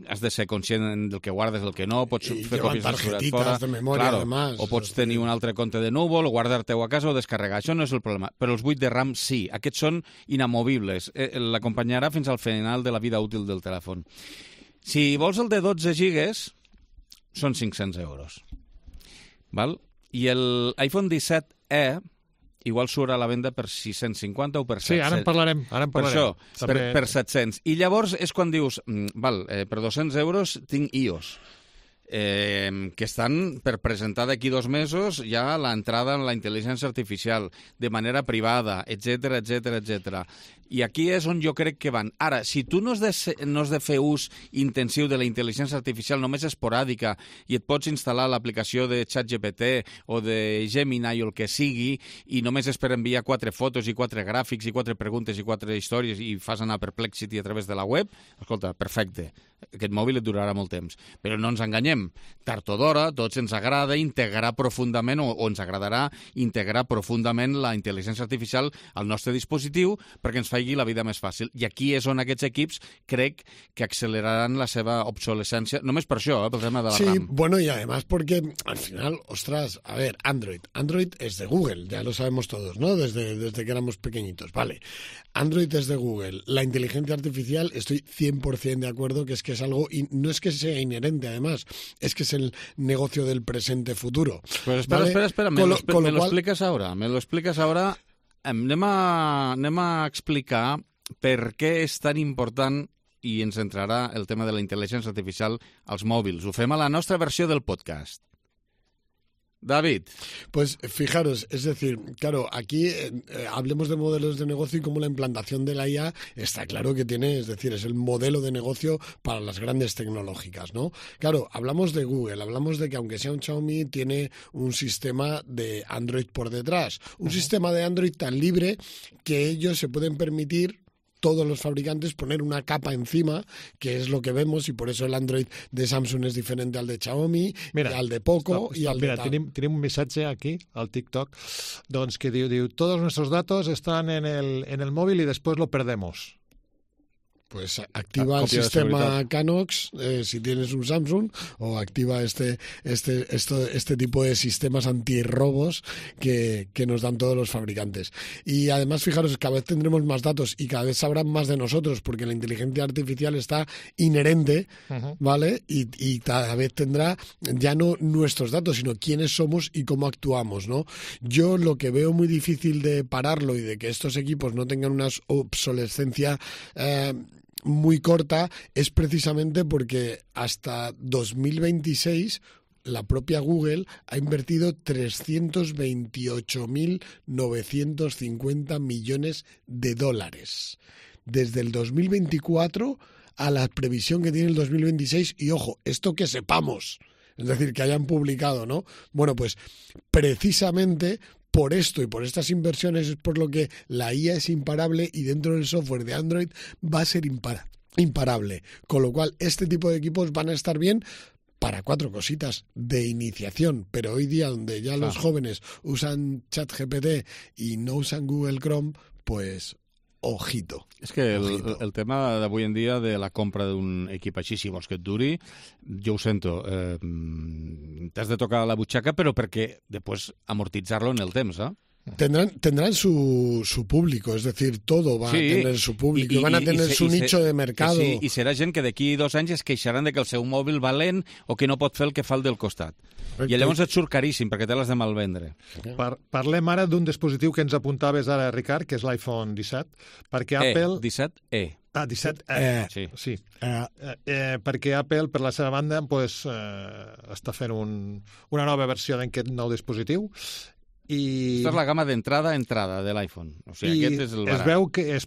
has de ser conscient del que guardes, del que no, pots fer còpies de seguretat fora, de memòria, claro, además, o pots tenir un altre compte de núvol, o guardar-te-ho a casa o descarregar. Això no és el problema. Però els 8 de RAM sí. Aquests són inamovibles. L'acompanyarà fins al final de la vida útil del telèfon. Si vols el de 12 gigas, són 500 euros. Val? I l'iPhone 17e igual surt a la venda per 650 o per 700. Sí, ara en parlarem. Per això, per 700. I llavors és quan dius, per 200 euros tinc iOS, que estan per presentar d'aquí 2 mesos ja l'entrada en la intel·ligència artificial de manera privada, etc. I aquí és on jo crec que van. Ara, si tu no has de fer ús intensiu de la intel·ligència artificial, només esporàdica, i et pots instal·lar l'aplicació de ChatGPT o de Gemini o el que sigui, i només és per enviar 4 fotos i 4 gràfics i 4 preguntes i 4 històries i fas anar Perplexity a través de la web, escolta, perfecte. Aquest mòbil et durarà molt temps. Però no ens enganyem. Tard o d'hora, tots ens agrada integrar profundament o ens agradarà integrar profundament la intel·ligència artificial al nostre dispositiu perquè ens faci la vida més fàcil. I aquí és on aquests equips crec que acceleraran la seva obsolescència, només per això, pel tema de la RAM. Sí, bueno, y además porque al final, ostras, a ver, Android es de Google, ya lo sabemos todos, ¿no? Desde que éramos pequeñitos, vale. Android es de Google. La inteligencia artificial, estoy 100% de acuerdo que es algo, y no es que sea inherente, además, es que es el negocio del presente futuro. Pero espera, me lo explicas ahora. Anem a explicar per què és tan important i ens entrarà el tema de la intel·ligència artificial als mòbils. Ho fem a la nostra versió del podcast. David. Pues fijaros, es decir, claro, aquí hablemos de modelos de negocio y cómo la implantación de la IA está claro que tiene, es decir, es el modelo de negocio para las grandes tecnológicas, ¿no? Claro, hablamos de Google, hablamos de que aunque sea un Xiaomi, tiene un sistema de Android por detrás, un sistema de Android tan libre que ellos se pueden permitir, todos los fabricantes, poner una capa encima, que es lo que vemos, y por eso el Android de Samsung es diferente al de Xiaomi, mira, i al de Poco i al de tal. Tenim un missatge aquí, al TikTok, doncs que diu, todos nuestros datos están en el móvil y después lo perdemos. Pues activa el copia de sistema seguridad. Canox si tienes un Samsung, o activa este tipo de sistemas antirrobos que nos dan todos los fabricantes. Y además, fijaros, cada vez tendremos más datos y cada vez sabrán más de nosotros, porque la inteligencia artificial está inherente, ¿vale? Y cada vez tendrá ya no nuestros datos, sino quiénes somos y cómo actuamos, ¿no? Yo lo que veo muy difícil de pararlo y de que estos equipos no tengan una obsolescencia muy corta es precisamente porque hasta 2026 la propia Google ha invertido 328.950 millones de dólares desde el 2024 a la previsión que tiene el 2026. Y ojo, esto que sepamos, es decir, que hayan publicado, ¿no? Bueno, pues precisamente por esto y por estas inversiones es por lo que la IA es imparable, y dentro del software de Android va a ser imparable. Con lo cual, este tipo de equipos van a estar bien para 4 cositas de iniciación, pero hoy día donde ya los jóvenes usan ChatGPT y no usan Google Chrome, pues ojito. És que el tema d'avui en dia de la compra d'un equip així, si vols que et duri, jo ho sento, t'has de tocar la butxaca, però perquè després amortitzar-lo en el temps, eh? Tendrán su público, es decir, todo va a tener su público, y van a tener su nicho de mercado. Sí, i serà gent que d'aquí 2 anys es queixaran de que el seu mòbil va lent o que no pot fer el que fa el del costat. I llavors et surt caríssim, perquè te l'has de malvendre. Parlem ara d'un dispositiu que ens apuntaves ara, Ricard, que és l'iPhone 17, perquè Apple... 17E. Ah, 17E. Sí. Perquè Apple, per la seva banda, pues, està fent una nova versió d'aquest nou dispositiu. Esta és la gamma d'entrada de l'iPhone. O sigui, aquest és el barat. Es preveu que es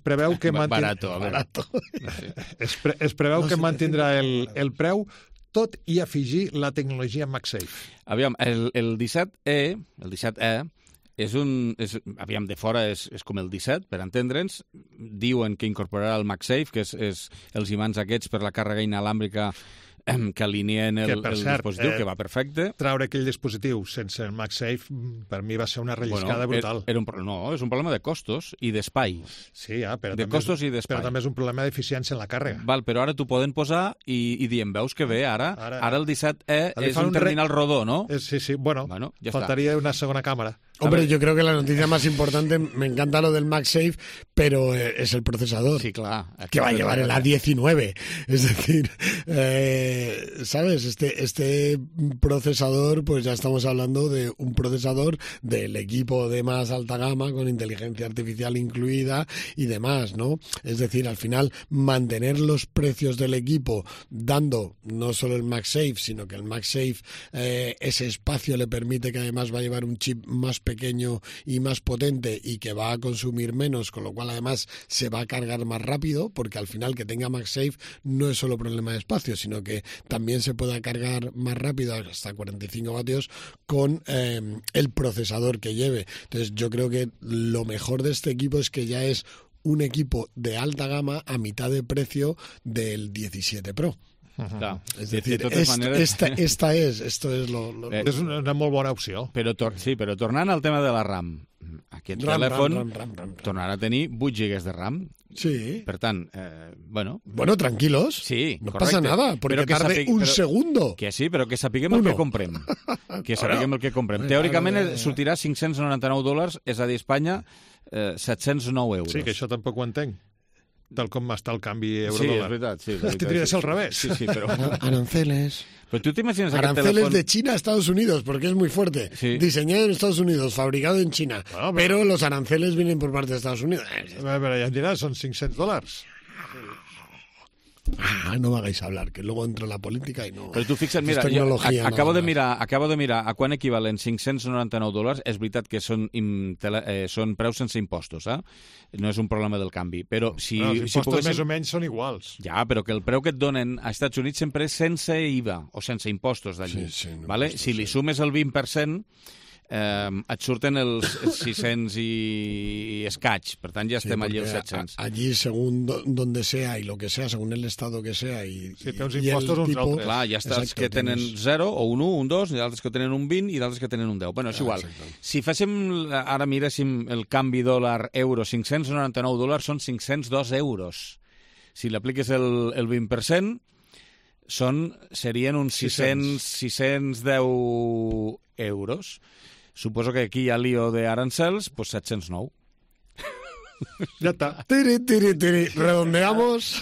preveu que mantindrà el preu, tot i afegir la tecnologia MagSafe. Aviam, el 17E aviam, de fora és com el 17, per entendre'ns. Diuen que incorporarà el MagSafe, que és els imants aquests per la càrrega inalàmbrica que alineen el dispositiu, que va perfecte. Traure aquell dispositiu sense el MagSafe, per mi va ser una relliscada brutal. No, és un problema de costos i d'espai. Sí, però però també és un problema d'eficiència en la càrrega. Val, però ara t'ho poden posar i diem, veus que bé, ara el 17E és un terminal rodó, ¿no? Sí, bueno, faltaría una segona càmera. Hombre, yo creo que la noticia más importante, me encanta lo del MagSafe, pero es el procesador. Sí, claro. Que va a llevar el A19. Es decir, ¿sabes? Este procesador, pues ya estamos hablando de un procesador del equipo de más alta gama, con inteligencia artificial incluida y demás, ¿no? Es decir, al final, mantener los precios del equipo, dando no solo el MagSafe, sino que el MagSafe, ese espacio le permite que además va a llevar un chip más pequeño y más potente y que va a consumir menos, con lo cual además se va a cargar más rápido, porque al final que tenga MagSafe no es solo problema de espacio, sino que también se pueda cargar más rápido, hasta 45 vatios, con el procesador que lleve. Entonces yo creo que lo mejor de este equipo es que ya es un equipo de alta gama a mitad de precio del 17 Pro. Clar. És dir, esto es lo... És una molt bona opció. Però tornant al tema de la RAM, aquest telèfon tornarà a tenir 8 GB de RAM. Sí. Per tant, bueno, tranquilos. Sí, no correcte. pasa nada, porque tarde un segundo. Que sí, però que sapiguem el que comprem. Que sapiguem el que comprem. Teòricament sortirà $599, és a dir, Espanya, 709 euros. Sí, que això tampoc ho entenc. Tal com està el canvi euro-dòlar. Sí, és veritat. Sí, tindria de ser al revés. Sí, però... Aranceles. Pero tú te imaginas aranceles de China a Estados Unidos, porque es muy fuerte. Sí. Diseñado en Estados Unidos, fabricado en China. Bueno, pero los aranceles vienen por parte de Estados Unidos. Però ja em diràs, són $500. No me hagáis hablar, que luego entro en la política y no... Però tu fixa't, mira, acabo de mirar a quan equivalen $599. És veritat que són preus sense impostos, no és un problema del canvi. Però si els impostos més o menys són iguals. Ja, però que el preu que et donen a Estats Units sempre és sense IVA o sense impostos d'allí. Si li sumes el 20%, et surten els 600 i escaig, per tant ja estem allí als 700. Allí, según donde sea y lo que sea, según el estado que sea y té uns impostos uns altres. Clar, hi ha estats que tenen 0 o un 1, un 2, hi ha altres que tenen un 20 i d'altres que tenen un 10. Bueno, és igual. Si ara miréssim el canvi dòlar-euro, $599 són €502. Si l'apliques el 20%, serien uns 610 euros. Suposo que aquí hi ha lío de arancels, pues 709. Ya está. Redondeamos.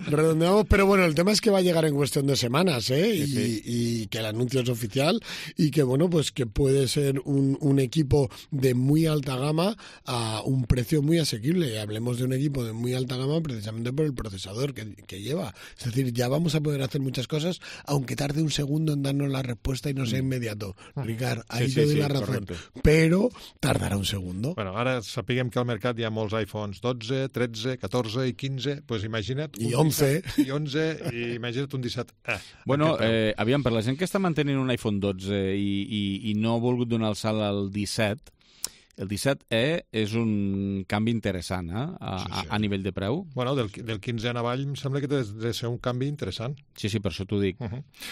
Redondeamos, pero bueno, el tema es que va a llegar en cuestión de semanas, y que el anuncio es oficial y que, bueno, pues que puede ser un equipo de muy alta gama a un precio muy asequible. Y hablemos de un equipo de muy alta gama precisamente por el procesador que lleva. Es decir, ya vamos a poder hacer muchas cosas, aunque tarde un segundo en darnos la respuesta y no sea inmediato. Ricard, ahí te doy la razón. Correcte. Pero tardarà un segundo. Bueno, ara sapiguem que al mercat hi ha molts iPhones 12, 13, 14 i 15, doncs imagina't... I 11. I 11, i imagina't un 17. Bueno, aviam, per la gent que està mantenint un iPhone 12 i no ha volgut donar el salt al 17, el 17e és un canvi interessant, a nivell de preu. Bueno, del 15 en avall em sembla que té de ser un canvi interessant. Sí, per això t'ho dic.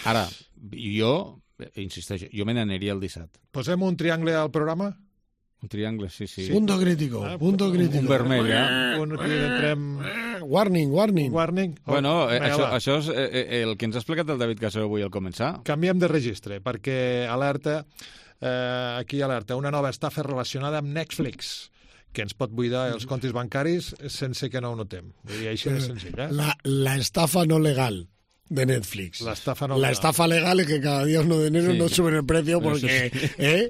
Ara, jo, insisteixo, jo me n'aniria al 17. Posem un triangle al programa? Un triangle, sí. Punto crítico, punto crítico. Un vermell, Warning. Bueno, això és el que ens ha explicat el David Casero avui al començar. Canviem de registre, perquè alerta, una nova estafa relacionada amb Netflix, que ens pot buidar els comptes bancaris sense que no ho notem. Vull dir, així de senzill, La estafa no legal de Netflix. La estafa legal es que cada día 1 de enero nos suben el precio porque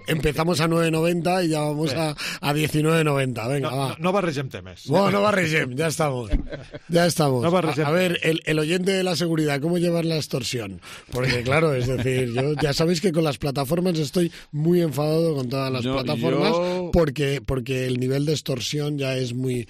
empezamos a 9,90 y ya vamos a 19,90. Venga, va. No barregem temes. Bueno, no barregem, ya estamos. No barregem. A ver, el oyente de la seguridad, ¿cómo llevar la extorsión? Porque claro, es decir, yo ya sabéis que con las plataformas estoy muy enfadado con todas las plataformas porque el nivel de extorsión ya es muy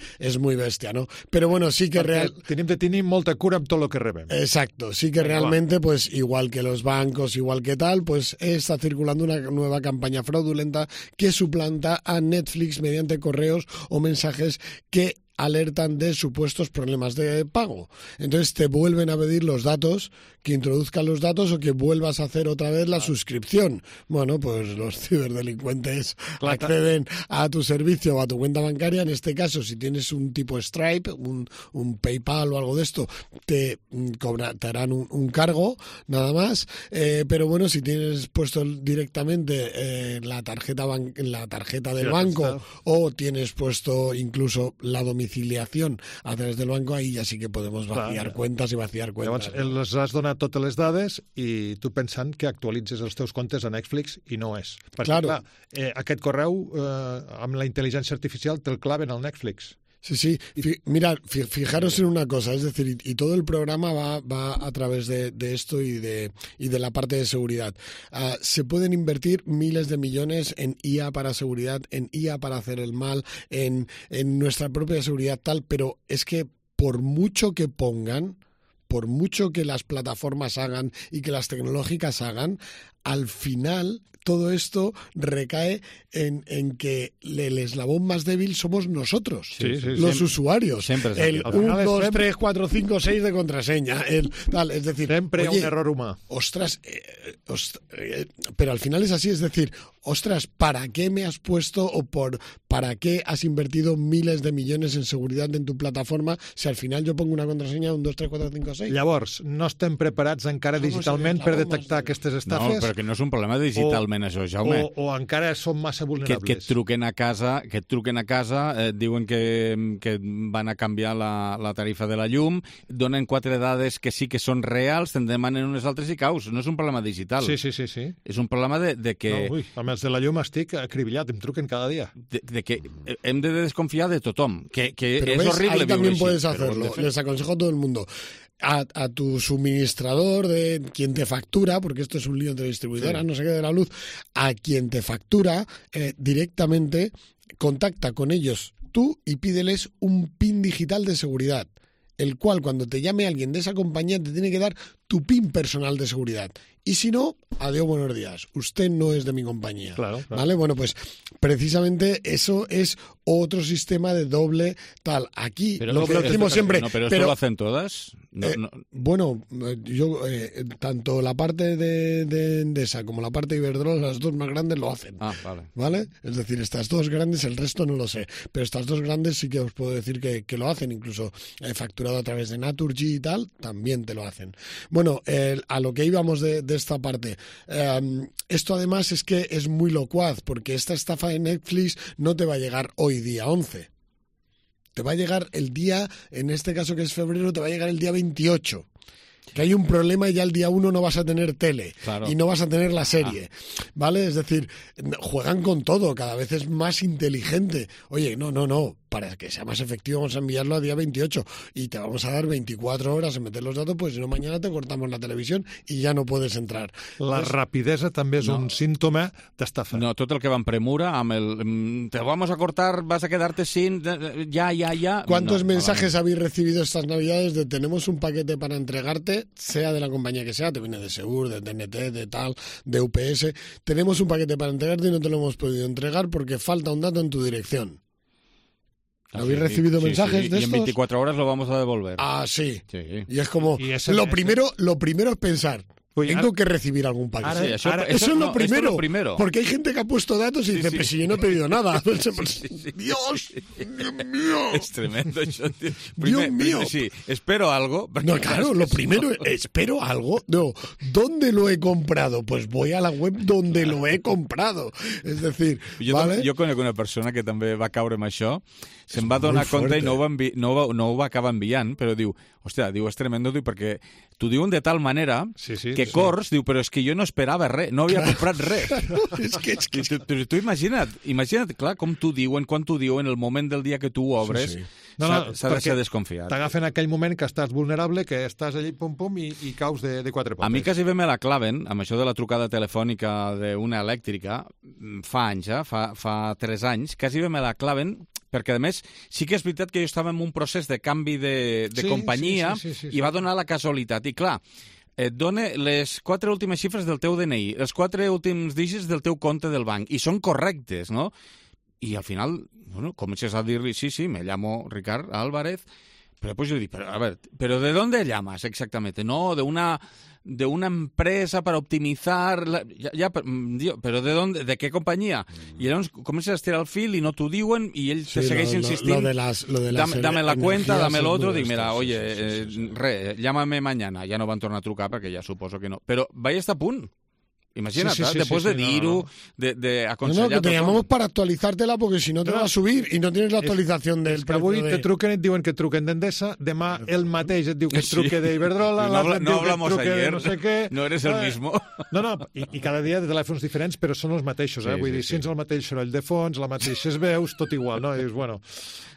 bestia, ¿no? Pero bueno, sí que tenim de tenir molta cura amb tot el que rebem. Exacto. Sí que realmente, pues igual que los bancos, igual que tal, pues está circulando una nueva campaña fraudulenta que suplanta a Netflix mediante correos o mensajes que alertan de supuestos problemas de pago. Entonces te vuelven a pedir los datos, que introduzcan los datos o que vuelvas a hacer otra vez la suscripción. Bueno, pues los ciberdelincuentes acceden a tu servicio o a tu cuenta bancaria. En este caso, si tienes un tipo Stripe, un PayPal o algo de esto, te harán un cargo, nada más. Pero bueno, si tienes puesto directamente la tarjeta del banco o tienes puesto incluso la domiciliación a través del banco, ahí ya sí que podemos vaciar cuentas y vaciar cuentas. Llavors, les has donat totes les dades i tu pensant que actualitzes els teus comptes a Netflix i no és. Perquè, clar, aquest correu amb la intel·ligència artificial te'l claven al Netflix. Sí. Mirad, fijaros en una cosa, es decir, y todo el programa va a través de esto y de la parte de seguridad. Se pueden invertir miles de millones en IA para seguridad, en IA para hacer el mal, en nuestra propia seguridad tal, pero es que por mucho que pongan, por mucho que las plataformas hagan y que las tecnológicas hagan, al final todo esto recae en que el eslabón más débil somos nosotros, los usuarios. El 1, 2, 3, 4, 5, 6 de contraseña. Es decir, siempre un error humano. Ostras, pero al final es así, es decir, ostras, ¿para qué me has puesto para qué has invertido miles de millones en seguridad en tu plataforma si al final yo pongo una contraseña 1, 2, 3, 4, 5, 6? Llavors, no estem preparats encara digitalment per detectar aquestes estafes? No, perquè no és un problema digitalment, això, Jaume. O encara som massa vulnerables. Que et truquen a casa, et diuen que van a canviar la tarifa de la llum, donen 4 dades que sí que són reals, te'n demanen unes altres i caus. No és un problema digital. Sí. És un problema de que... No, amb els de la llum estic acribillat, em truquen cada dia. De que hem de desconfiar de tothom, que pero es ves, horrible. Ahí también puedes hacerlo, les aconsejo a todo el mundo. a tu suministrador, de quien te factura, porque esto es un lío entre distribuidoras, no sé qué, de la luz, a quien te factura directamente, contacta con ellos tú y pídeles un PIN digital de seguridad, el cual cuando te llame alguien de esa compañía te tiene que dar tu PIN personal de seguridad. Y si no, adiós, buenos días. Usted no es de mi compañía. Claro. ¿Vale? Bueno, pues precisamente eso es otro sistema de doble tal. Aquí lo decimos siempre. No, pero esto lo hacen todas. Bueno, yo tanto la parte de Endesa como la parte de Iberdrola, las dos más grandes lo hacen. ¿Vale? Es decir, estas dos grandes, el resto no lo sé. Pero estas dos grandes sí que os puedo decir que lo hacen. Incluso facturado a través de Naturgy y tal, también te lo hacen. Bueno, a lo que íbamos de esta parte. Esto además es que es muy locuaz, porque esta estafa de Netflix no te va a llegar hoy día 11. Te va a llegar el día, en este caso que es febrero, te va a llegar el día 28. Que hay un problema y ya el día 1 no vas a tener tele y no vas a tener la serie, ¿vale? Es decir, juegan con todo, cada vez es más inteligente. Oye, no, para que sea más efectivo vamos a enviarlo a día 28 y te vamos a dar 24 horas en meter los datos, pues si no mañana te cortamos la televisión y ja no puedes entrar. La rapidesa també és un símptoma d'estafa. No, tot el que va en premura, amb el te vamos a cortar, vas a quedarte sin, ya. ¿Cuántos mensajes habéis recibido estas navidades de tenemos un paquete para entregarte, sea de la compañía que sea, te viene de Segur, de TNT, de tal, de UPS, tenemos un paquete para entregarte y no te lo hemos podido entregar porque falta un dato en tu dirección? ¿Habéis recibido mensajes de estos? Y en 24 horas lo vamos a devolver. Sí. Y es como, lo primero es pensar, tengo que recibir algún paquete. Eso es lo primero. Porque hay gente que ha puesto datos y dice, pero si yo no he pedido nada. Dios mío. Es tremendo eso. Dios mío. Sí, espero algo. No, claro, lo primero, espero algo. No, ¿dónde lo he comprado? Pues voy a la web donde lo he comprado. És decir, jo conec una persona que també va caure amb això, se'n va donar compte i no ho va acabar enviant, però diu, hòstia, és tremendo, perquè t'ho diuen de tal manera que corrs, diu, però és que jo no esperava res, no havia comprat res. Però tu imagina't, clar, com t'ho diuen, quan t'ho diuen, el moment del dia que tu ho obres, s'ha de ser desconfiat. T'agafen aquell moment que estàs vulnerable, que estàs allí, pum, i caus de quatre potes. A mi quasi bé me la claven, amb això de la trucada telefònica d'una elèctrica, fa anys, fa 3 anys, quasi bé me la claven, perquè, a més, sí que és veritat que jo estava en un procés de canvi de companyia i va donar la casualitat. I, clar, et dona les 4 últimes xifres del teu DNI, els 4 últims dígits del teu compte del banc, i són correctes, no? I al final, bueno, comences a dir-li, sí, me llamo Ricard Álvarez, pero pues yo digo, a ver, ¿pero de dónde llamas exactamente? No, de una empresa para optimizar... ¿Pero de dónde? ¿De qué compañía? Y llavors comences a estirar el fil y no t'ho diuen y ell te segueix insistint. Dame la cuenta, dame el otro. Dic, mira, oye, llámame mañana. Ja no van tornar a trucar perquè ja suposo que no. Però vaig estar a punt. Imagínate, después de dir-ho, de aconsellar... No, que te llamamos para actualizártela porque si no te va a subir y no tienes la actualización del precio. Avui te truquen i et diuen que et truquen d'Endesa, demà el mateix et diu que et truque d'Iberdrola, l'altre et diu que et truque de no sé què... No eres el mismo. No, i cada dia de telèfons diferents, però són els mateixos, Vull dir, si ets el mateix soroll de fons, les mateixes veus, tot igual, no? I dius, bueno...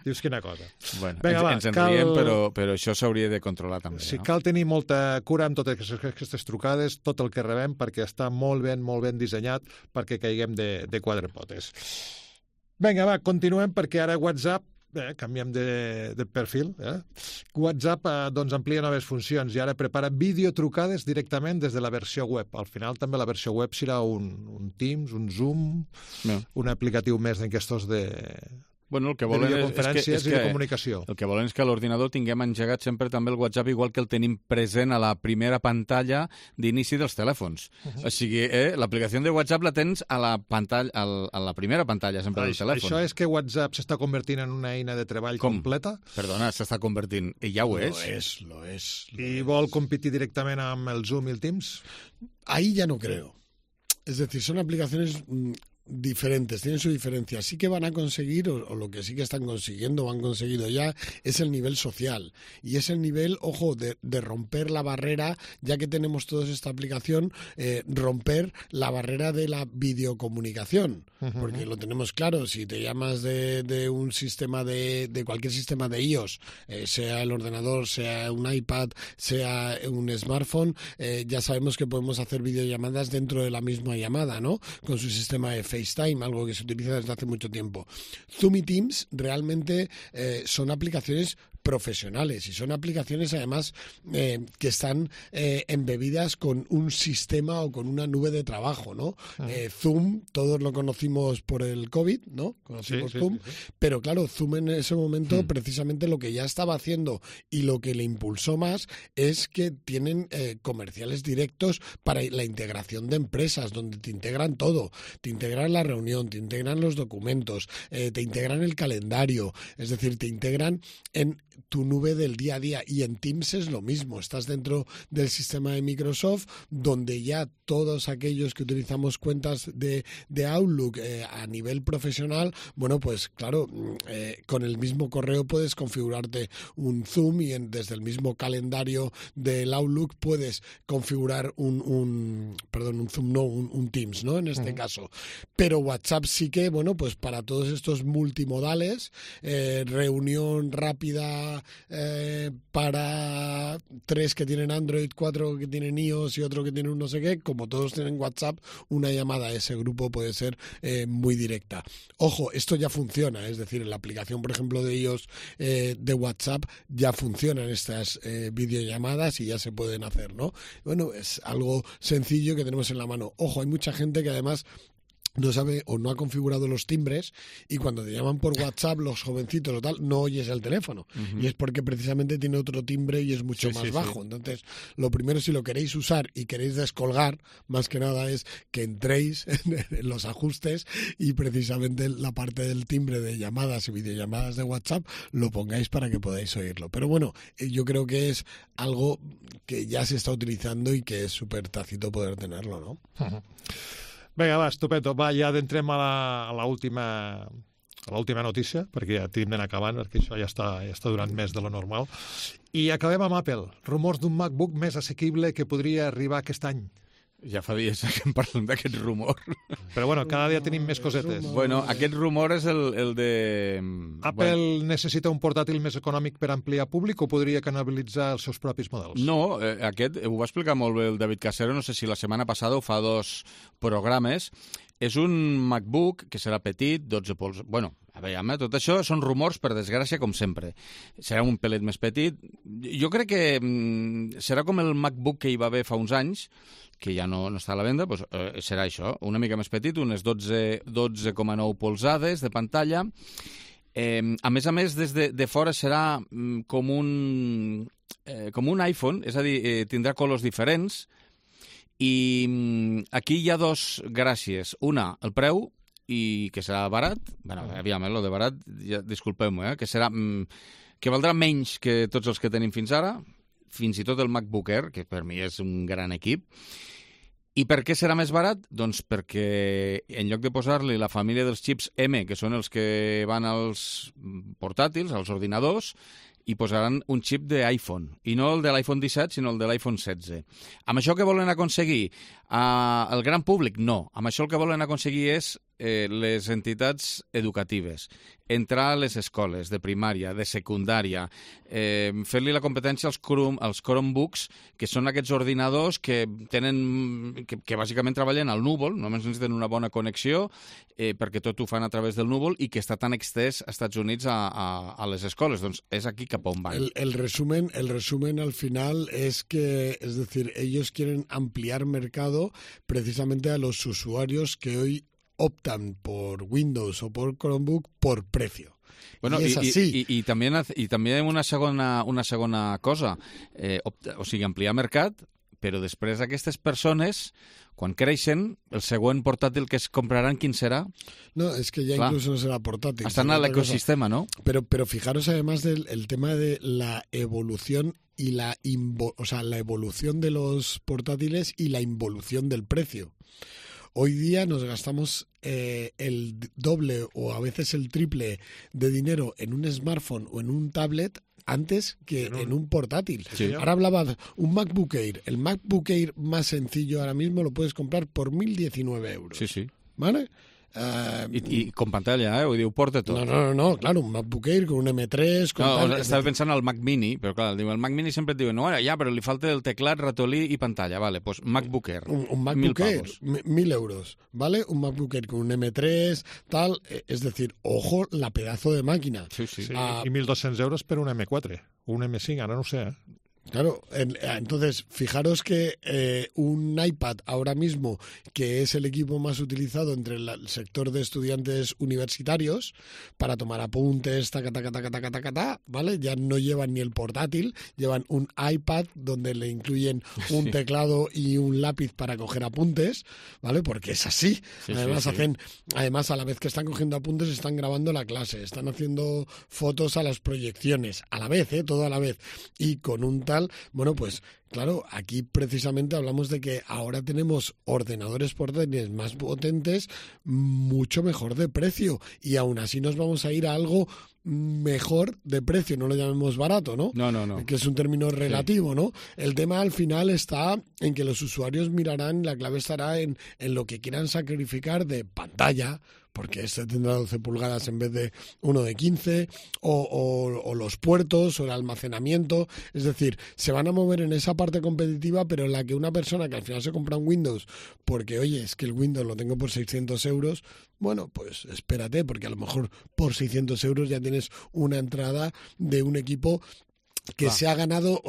Dius, quina cosa. Bueno, ens en riem, però això s'hauria de controlar també. Sí, cal tenir molta cura amb totes aquestes trucades, tot el que rebem, perquè està molt ben dissenyat perquè caiguem de quatre potes. Vinga, va, continuem, perquè ara WhatsApp, canviem de perfil, WhatsApp doncs amplia noves funcions i ara prepara videotrucades directament des de la versió web. Al final també la versió web serà un Teams, un Zoom, un aplicatiu més d'aquestos de... Bueno, el que volen videoconferències i de comunicació. El que volen és que a l'ordinador tinguem engegat sempre també el WhatsApp igual que el tenim present a la primera pantalla d'inici dels telèfons. O sigui, l'aplicació de WhatsApp la tens a la primera pantalla sempre del telèfon. Això és que WhatsApp s'està convertint en una eina de treball completa? Perdona, s'està convertint. I ja ho és. Lo és. I vol competir directament amb el Zoom y el Teams? Ahí ya no creo. Es decir, son aplicaciones... diferentes, tienen su diferencia. Sí que van a conseguir, o lo que sí que están consiguiendo o han conseguido ya, es el nivel social. Y es el nivel, ojo, de romper la barrera, ya que tenemos todos esta aplicación, romper la barrera de la videocomunicación. Porque lo tenemos claro, si te llamas de un sistema de cualquier sistema de iOS, sea el ordenador, sea un iPad, sea un smartphone, ya sabemos que podemos hacer videollamadas dentro de la misma llamada, ¿no? Con su sistema de FaceTime, algo que se utiliza desde hace mucho tiempo. Zoom y Teams realmente son aplicaciones profesionales y son aplicaciones además que están embebidas con un sistema o con una nube de trabajo, ¿no? Zoom, todos lo conocimos por el COVID, ¿no? Conocimos Zoom, pero claro, Zoom en ese momento precisamente lo que ya estaba haciendo y lo que le impulsó más es que tienen comerciales directos para la integración de empresas, donde te integran todo, te integran la reunión, te integran los documentos, te integran el calendario, es decir, te integran en tu nube del día a día. Y en Teams es lo mismo, estás dentro del sistema de Microsoft, donde ya todos aquellos que utilizamos cuentas de Outlook a nivel profesional, bueno, pues claro, con el mismo correo puedes configurarte un Zoom y desde el mismo calendario del Outlook puedes configurar un Zoom, no, un Teams, ¿no? En este caso. Pero WhatsApp sí que, bueno, pues para todos estos multimodales, reunión rápida para 3 que tienen Android, 4 que tienen iOS y otro que tienen un no sé qué, como todos tienen WhatsApp, una llamada a ese grupo puede ser muy directa. Ojo, esto ya funciona, es decir, en la aplicación, por ejemplo, de iOS de WhatsApp ya funcionan estas videollamadas y ya se pueden hacer, ¿no? Bueno, es algo sencillo que tenemos en la mano. Ojo, hay mucha gente que además no sabe o no ha configurado los timbres y cuando te llaman por WhatsApp los jovencitos o tal, no oyes el teléfono. Y es porque precisamente tiene otro timbre y es mucho más bajo. Entonces, lo primero, si lo queréis usar y queréis descolgar, más que nada es que entréis en los ajustes y precisamente la parte del timbre de llamadas y videollamadas de WhatsApp lo pongáis para que podáis oírlo. Pero bueno, yo creo que es algo que ya se está utilizando y que es súper tácito poder tenerlo, ¿no? Vinga, va, estupendo. Va, ja entrem a l'última notícia, perquè ja tenim d'anar acabant, perquè això ja està durant més de lo normal. I acabem amb Apple. Rumors d'un MacBook més assequible que podria arribar aquest any. Ja fa dies que em parlem d'aquest rumor. Però bueno, cada dia tenim més cosetes. Bueno, aquest rumor és el de... Apple necessita un portàtil més econòmic per ampliar públic o podria canibalitzar els seus propis models? No, aquest ho va explicar molt bé el David Casero, no sé si la setmana passada o fa 2 programes. És un MacBook que serà petit, 12 pols... Bueno, a veure, tot això són rumors, per desgràcia, com sempre. Serà un pelet més petit. Jo crec que serà com el MacBook que hi va haver fa uns anys, que ja no està a la venda, doncs, serà això, una mica més petit, unes 12,9 polzades de pantalla. A més, des de fora serà com un iPhone, és a dir, tindrà colors diferents, i aquí hi ha 2 gràcies. Una, el preu, i que serà barat. Bueno, aviam, lo de barat, ja, disculpeu-me, que serà... que valdrà menys que tots els que tenim fins ara, fins i tot el MacBook Air, que per mi és un gran equip. I per què serà més barat? Doncs perquè en lloc de posar-li la família dels xips M, que són els que van als portàtils, als ordinadors, i posaran un xip d'iPhone, i no el de l'iPhone 17, sinó el de l'iPhone 16. Amb això què volen aconseguir? El gran públic? No. Amb això el que volen aconseguir és les entitats educatives, entrar a les escoles de primària, de secundària, fer-li la competència als Chromebooks, que són aquests ordinadors que bàsicament treballen al núvol, només necessiten una bona connexió, perquè tot ho fan a través del núvol i que està tan extès als Estats Units a les escoles. Doncs és aquí cap on van. El resumen al final es que, es decir, ellos quieren ampliar mercado precisamente a los usuarios que hoy optan por Windows o por Chromebook por precio. Bueno, i també una segona cosa, o sigui, ampliar mercat, però després aquestes persones, quan creixen, el següent portàtil que es compraran, quin serà? No, es que ya incluso no será portátil. Están al ecosistema, ¿no? Pero fijaros además del tema de la evolución y la evolución de los portátiles y la involución del precio. Hoy día nos gastamos el doble o a veces el triple de dinero en un smartphone o en un tablet antes que en un portátil. Sí. Ahora hablaba un MacBook Air. El MacBook Air más sencillo ahora mismo lo puedes comprar por 1.019 euros. Sí, sí. ¿Vale? I con pantalla, vull dir, ho porta tot. No, claro, un MacBook Air con un M3... Con No, tal, estava pensant al Mac Mini, però clar, el Mac Mini sempre et diuen, no, ja, però li falta el teclat, ratolí i pantalla. Vale, pues MacBook Air. Un MacBook Air, 1.000 euros, ¿vale? Un MacBook Air con un M3, tal, es decir, ojo, la pedazo de máquina. Sí, sí. Sí, i 1.200 euros per un M4, un M5, ara no ho sé, Claro, entonces fijaros que un iPad ahora mismo, que es el equipo más utilizado entre el sector de estudiantes universitarios para tomar apuntes, ¿vale? Ya no llevan ni el portátil, llevan un iPad donde le incluyen un teclado y un lápiz para coger apuntes, ¿vale? Porque es así. Además además a la vez que están cogiendo apuntes están grabando la clase, están haciendo fotos a las proyecciones, a la vez, todo a la vez, y con un bueno, pues claro, aquí precisamente hablamos de que ahora tenemos ordenadores portátiles más potentes, mucho mejor de precio, y aún así nos vamos a ir a algo mejor de precio, no lo llamemos barato, ¿no? No. Que es un término relativo, ¿no? El tema al final está en que los usuarios mirarán, la clave estará en lo que quieran sacrificar de pantalla, porque este tendrá 12 pulgadas en vez de uno de 15, o los puertos, o el almacenamiento. Es decir, se van a mover en esa parte competitiva, pero en la que una persona que al final se compra un Windows, porque, oye, es que el Windows lo tengo por 600 euros, bueno, pues espérate, porque a lo mejor por 600 euros ya tienes una entrada de un equipo que se ha ganado,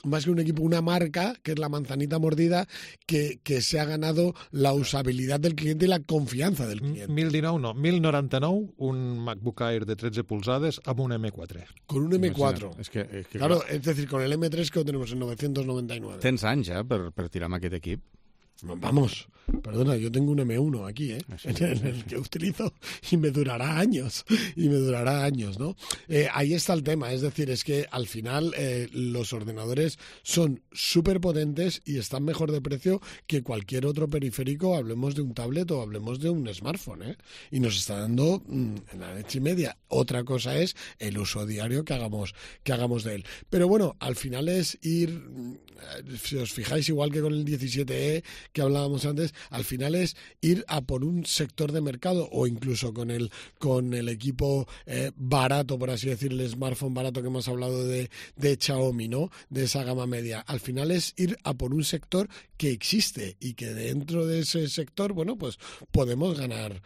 más que un equipo, una marca, que es la manzanita mordida, que se ha ganado la usabilidad del cliente y la confianza del cliente. 1.019, no, 1.099, un MacBook Air de 13 polzades amb un M4. Con un M4. És que claro, es decir, con el M3 que lo tenemos en 999. Tens anys, per tirar amb aquest equip. Vamos, perdona, yo tengo un M1 aquí, en el que utilizo y me durará años, ¿no? Ahí está el tema, es decir, es que al final los ordenadores son súper potentes y están mejor de precio que cualquier otro periférico, hablemos de un tablet o hablemos de un smartphone, y nos está dando la leche y media. Otra cosa es el uso diario que hagamos de él. Pero bueno, al final es ir, si os fijáis, igual que con el 17E, que hablábamos antes, al final es ir a por un sector de mercado, o incluso con el equipo barato, por así decir, el smartphone barato que hemos hablado de Xiaomi, ¿no? De esa gama media. Al final es ir a por un sector que existe y que dentro de ese sector, bueno, pues podemos ganar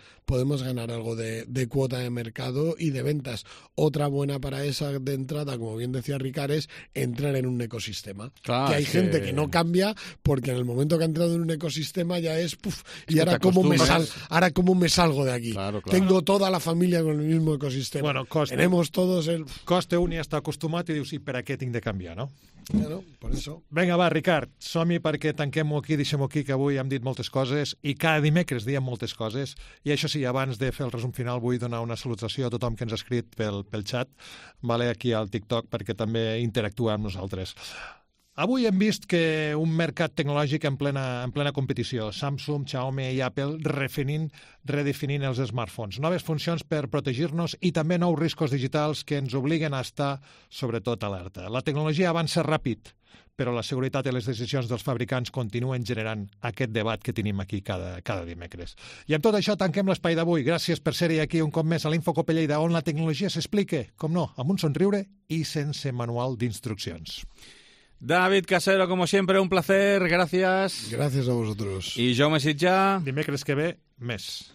algo de cuota de mercado y de ventas. Otra buena para esa de entrada, como bien decía Ricard, es entrar en un ecosistema. Claro, que hay gente que no cambia porque en el momento que ha entrado en un ecosistema ya es y ahora cómo me salgo de aquí. Claro. Tengo toda la familia con el mismo ecosistema. Bueno, tenemos todos el... Costa un i està acostumat i dius, i per a què tinc de canviar, no? Claro, por eso. Vinga, va, Ricard, som-hi perquè tanquem-ho aquí, deixem-ho aquí, que avui hem dit moltes coses i cada dimecres diem moltes coses. I això sí, abans de fer el resum final vull donar una salutació a tothom que ens ha escrit pel xat, vale, aquí al TikTok, perquè també interactua amb nosaltres. Avui hem vist que un mercat tecnològic en plena competició. Samsung, Xiaomi i Apple redefinint els smartphones. Noves funcions per protegir-nos i també nous riscos digitals que ens obliguen a estar, sobretot, alerta. La tecnologia avança ràpid, però la seguretat i les decisions dels fabricants continuen generant aquest debat que tenim aquí cada dimecres. I amb tot això tanquem l'espai d'avui. Gràcies per ser-hi aquí un cop més a l'Infocope Lleida, on la tecnologia s'explica, com no, amb un somriure i sense manual d'instruccions. David Casero, como siempre, un placer, gracias. Gracias a vosotros. Y Jaume Sitjà. Dimecres que ve, més.